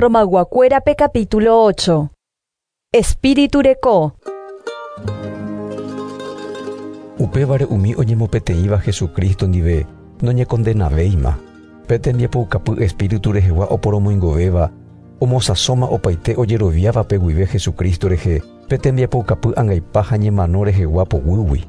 Romayguakuérape capítulo 8. Espíritu reko. Upévare umi oñemopeteĩva Jesucristo ndive noñekondenavéima. Pe tembiapoukapy Espíritu rehegua oporomoingovéva, omosãsóma opaite ojeroviávape guive Jesucristo rehe pe tembiapoukapy angaipa ha ñemano rehegua poguýgui.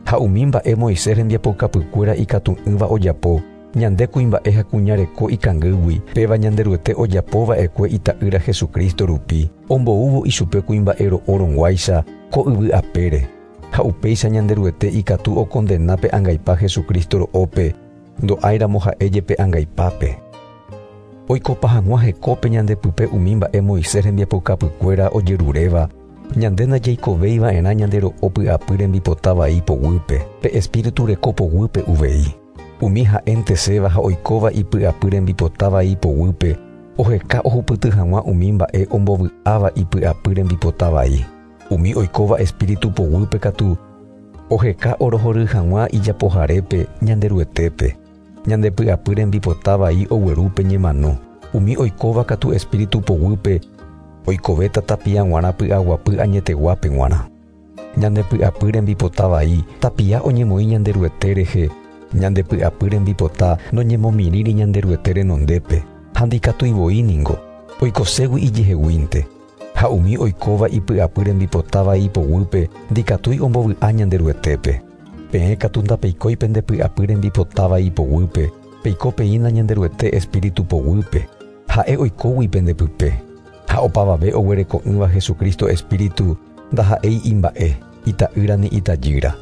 Ha umi mba'e Moisés rembiapoukapykuéra ikatu'ỹva ojapo, ñande kuimba'e ha kuña reko ikangýgui, péva Ñanderuete ojapo va'ekue ita'ýra Jesucristo rupi, omboúvo ichupe kuimba'e ro'o rõguáicha ko yvy apére. Ha upéicha Ñanderuete ikatu okondena pe angaipa Jesucristo ro'ópe, ndo'áiramo ha'e jepe angaipápe. Oikopa hag̃ua hekópe ñande pype umi mba'e Moisés rembiapoukapykuéra ojeruréva, ñande ndajaikovéi va'erã ñande ro'o py'apy rembipota vai poguýpe, pe Espíritu reko poguýpe uvei. Umi ha'enteséva ha oikóva ipy'apy rembipota vai poguýpe, oheka ohupyty hag̃ua umi mba'e ombovy'áva ipy'apy rembipota vai. Umi oikóva Espíritu poguýpe katu, oheka orohory hag̃ua ijapoharépe, Ñanderuetépe. Ñande py'apy rembipota vai ogueru pe ñemano. Umi oikóva katu Espíritu poguýpe, oikovéta tapia g̃uarã py'aguapy añeteguápe g̃uarã. Ñande py'apy rembipota vai tapia oñemoĩ Ñanderuete rehe, ñande py'apy rembipota noñemomirĩri Ñanderuete renondépe, ha ndikatúi voi ningo, oikoségui ijeheguínte. Ha umi oikóva ipy'apy rembipota vai poguýpe ndikatúi ombovy'a Ñanderuetépe. Peẽ katu ndapeikói pende py'apy rembipota vai poguýpe, peiko peína Ñanderuete Espíritu poguýpe, ha'e oikógui pende pype. Ha opavave oguereko'ỹva Jesucristo Espíritu ndaha'éi imba'e, ita'ýra ni itajýra.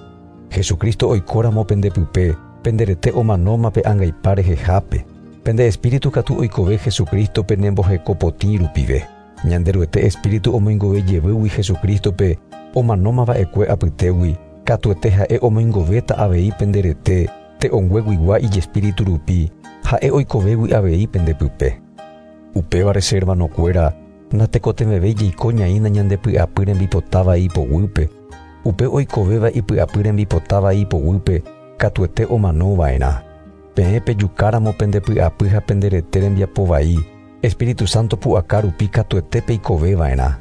Jesucristo oikóramo pende pype, pende rete omanóma pe angaipa rehehápe. Pende espíritu katu oikove Jesucristo penemboheko potĩ rupive. Ñanderuete Espíritu omoingove jevýgui Jesucristo-pe omanóma va'ekue apytégui, katuete ha'e omoingovéta avei pende rete te'õngueguigua ijespíritu rupi, ha'e oikovégui avei pende pype. Upévare che hermanokuéra, natekotevẽvéi jaiko ñaína ñande py'apy rembipota vai poguýpe. Upe oikovéva ipy'apy rembipota vai poguýpe katuete omano va'erã. Peẽ pejukáramo pende py'apy ha pende rete rembiapo vai, Espíritu Santo pu'aka rupi katuete peikove va'erã.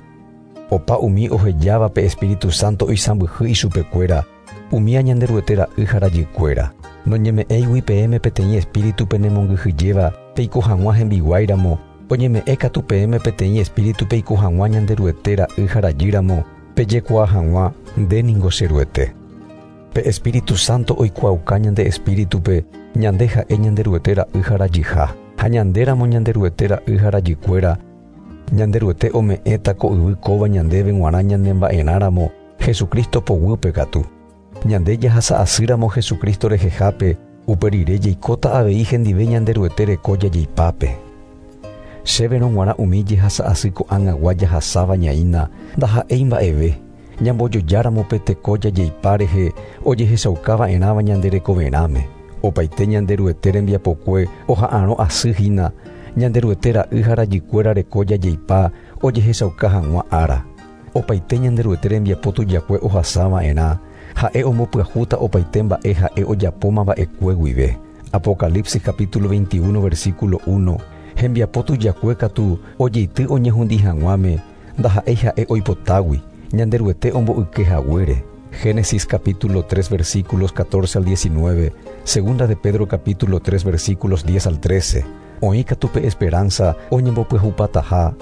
Opa umi ohejáva pe Espíritu Santo oisãmbyhy ichupekuéra, umía Ñanderuete ra'y ha rajykuéra. Noñeme'ẽigui peẽme peteĩ espíritu penemongyhyjéva peiko hag̃ua hembiguái ramo, oñeme'ẽ katu peẽme peteĩ espíritu peiko hag̃ua Ñanderuete ra'y ha rajy ramo, pejekuaa hag̃ua, Nde ningo che Ruete. Pe Espíritu Santo oikuaauka ñande espíritupe ñande ha'e Ñanderuete ra'y ha rajyha. Ha ñandéramo Ñanderuete ra'y ha rajykuéra, Ñanderuete ome'ẽta ko yvy kóva ñandéve g̃uarã ñanemba'erã ramo, Jesucristo poguýpe katu. Ñande jahasa asýramo Jesucristo rehehápe, upe rire jaikóta avei hendive Ñanderuete reko jajeipápe. Chéverõ g̃uarã umi jehasa asy ko'ág̃agua jahasáva ñaína ndaha'éi mba'eve, ñambojojáramo pe teko jajeipa rehe ojehechauka va'erãva ñande rekoverãme. Opaite Ñanderuete rembiapokue oha'arõ asy hína, Ñanderuete ra'y ha rajykuéra reko jajeipa ojehechauka hag̃ua ára. Opaite Ñanderuete rembiapo tujakue ohasa va'erã, ha'e ombopyahúta opaite mba'e ha'e ojapóma va'ekue guive. Apocalipsis capítulo 21 versículo 1, Hembiapo tujakue katu ojeity oñehundi hag̃uáme, ndaha'éi ha'e oipotágui, Ñanderuete omboyke haguére. Génesis capítulo 3 versículos 14 al 19, Segunda de Pedro capítulo 3 versículos 10 al 13. Oĩ katu pe esperanza oñembopyahupataha.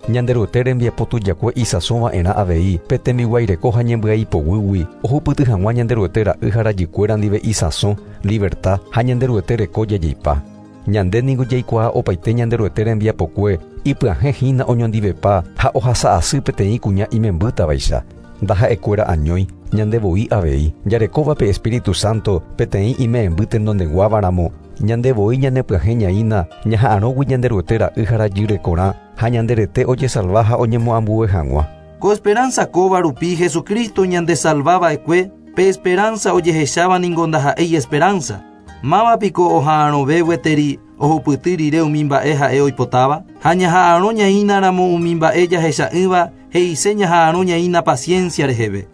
Ñanderuete rembiapo tujakue isãso va'erã avei pe tembiguaireko ha ñembyai poguýgui ohupyty hag̃ua Ñanderuete ra'y ha rajykuéra ndive isãso, liberta, ha Ñanderuete reko jajeipa. Ñande ningo jaikuaa opaite Ñanderuete rembiapokue ipyahẽ hína oñondivepa ha ohasa asy peteĩ kuña imembýtavaicha. Ndaha'ekuéra añói, ñande voi avei, jarekóva pe Espíritu Santo peteĩ ime'ẽmby tenondeguáva ramo, ñande voi ñanepyahẽ ñaína ñaha'arõgui Ñanderuete ra'y ha rajy rekorã ha ñande rete ojesalva ha oñemoambue hag̃ua. Ko esperanza kóva rupi Jesucristo ñandesalva va'ekue, pe esperanza ojehecháva ningo ndaha'éi esperanza. Máva piko oha'arõve gueteri ohupyty rire umi mba'e ha'e oipotáva? Ha ñaha'arõ ñaína ramo umi mba'e jahecha'ỹva he'ise ñaha'arõ ñaína paciencia reheve.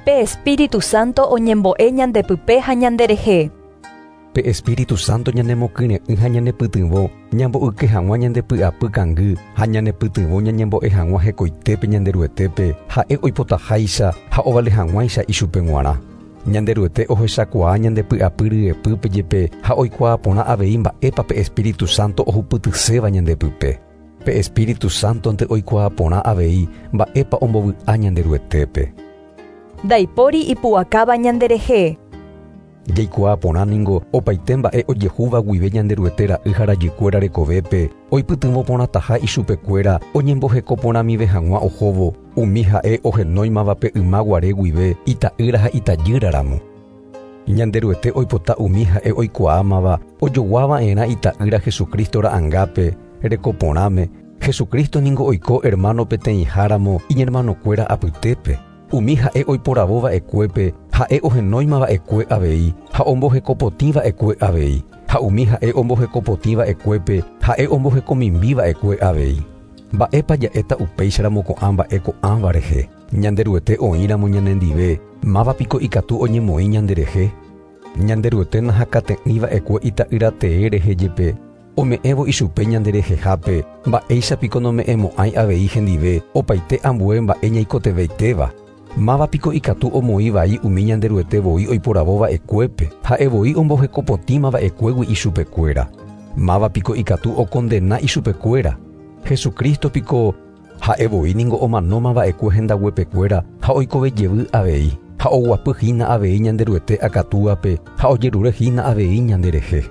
Pe Espíritu Santo oñembo'e ñande pype ha ñande rehe. Pe Espíritu Santo ñanemokyre'ỹ ha ñanepytyvõ ñamboyke hag̃ua ñande py'apy kangy ha ñanepytyvõ ñañembo'e hag̃ua hekoitépe Ñanderuetépe ha'e oipotaháicha ha ovale hag̃uáicha ichupe g̃uarã. Ñanderuete ohechakuaa ñande py'apy ryepýpe jepe ha oikuaa porã avei mba'épa pe Espíritu Santo ohupytyséva ñandepype. Pe Espíritu Santonte oikuaa porã avei mba'épa ombovy'a Ñanderuetépe. Ndaipóri ipu'akáva ñanderehe. Jaikuaa porã ningo opaite mba'e ojehúva guive Ñanderuete ra'y ha rajykuéra rekovépe oipytyvõ porãtaha ichupekuéra oñemboheko porãmive hag̃ua ohóvo umi ha'e ohenóimavape yma guare guive ita'ýra ha itajýra ramo. Ñanderuete oipota umi ha'e oikuaámava ojoguava'erã ita'ýra Jesucristo ra'angápe reko porãme. Jesucristo ningo oiko hermano peteĩháramo iñermanokuéra apytépe. Umi ha'e oiporavo va'ekuépe ha'e ohenóima va'ekue avei ha ombohekopotĩ va'ekue avei. Ha umi ha'e ombohekopotĩ va'ekuépe ha'e ombohekomimbi va'ekue avei. Mba'épa ja'éta upéicharamo ko'ã mba'e ko'ãva rehe. Ñanderuete oĩramo ñanendive, mávapiko ikatu oñemoĩ ñanderehe. Ñanderuete nahakate'ỹ va'ekue ita'ýra tee rehe jepe ome'ẽvo ichupe ñanderehehápe mba'éichapiko nome'ẽmo'ãi avei hendive opaite ambue mba'e ñaikotevẽitéva. Mávapiko ikatu omoĩ vai umi Ñanderuete voi oiporavo va'ekuépe ha'e voi ombohekopotĩma va'ekuégui ichupekuéra. Mávapiko ikatu okondena ichupekuéra. Jesucristo piko ha'e voi ningo omanóma va'ekue hendaguepekuéra ha oikove jevy avei ha oguapy hína avei Ñanderuete akatúape ha ojerure hína avei ñanderehe.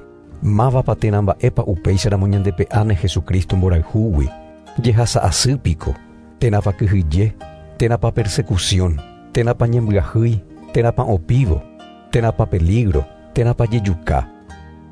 Mávapa térã mba'épa upéicharamo ñandepe'áne Jesucristo mborayhúgui. Jehasa asy piko, térãpa kyhyje, térãpa persecución, térãpa ñembyahýi, térãpa opívo, térãpa peligro, térãpa jejuka.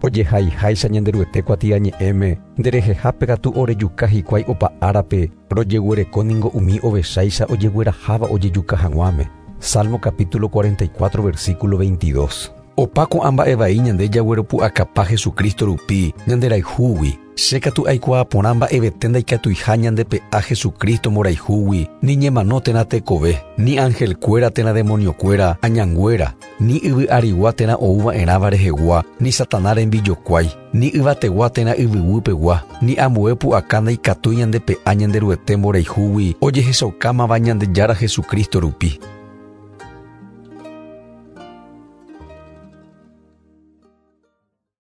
Ojehaiháicha Ñanderuete kuatiañe'ẽme nderehehápe katu orejuka hikuái opa árape rojeguereko ningo umi ovecháicha ojegueraháva ojejuka hag̃uáme. Salmo capítulo 44 versículo 22. Opa ko'ã mba'e vai ñande jagueropu'akapa Jesucristo rupi ñanderayhúgui. Che katu aikuaa porã mba'evete ndaikatuiha ñandepe'a Jesucristo mborayhúgui, ni ñemano térã tekove, ni angelkuéra térã demoniokuéra, añanguéra, ni yvy arigua térã ouva'erãva rehegua, ni Satanás rembijokuái, ni yvategua térã yvyguýpegua, ni ambue pu'aka ndaikatúi ñandepe'a Ñanderuete mborayhúgui ojehechaukámava Ñandejára Jesucristo rupi.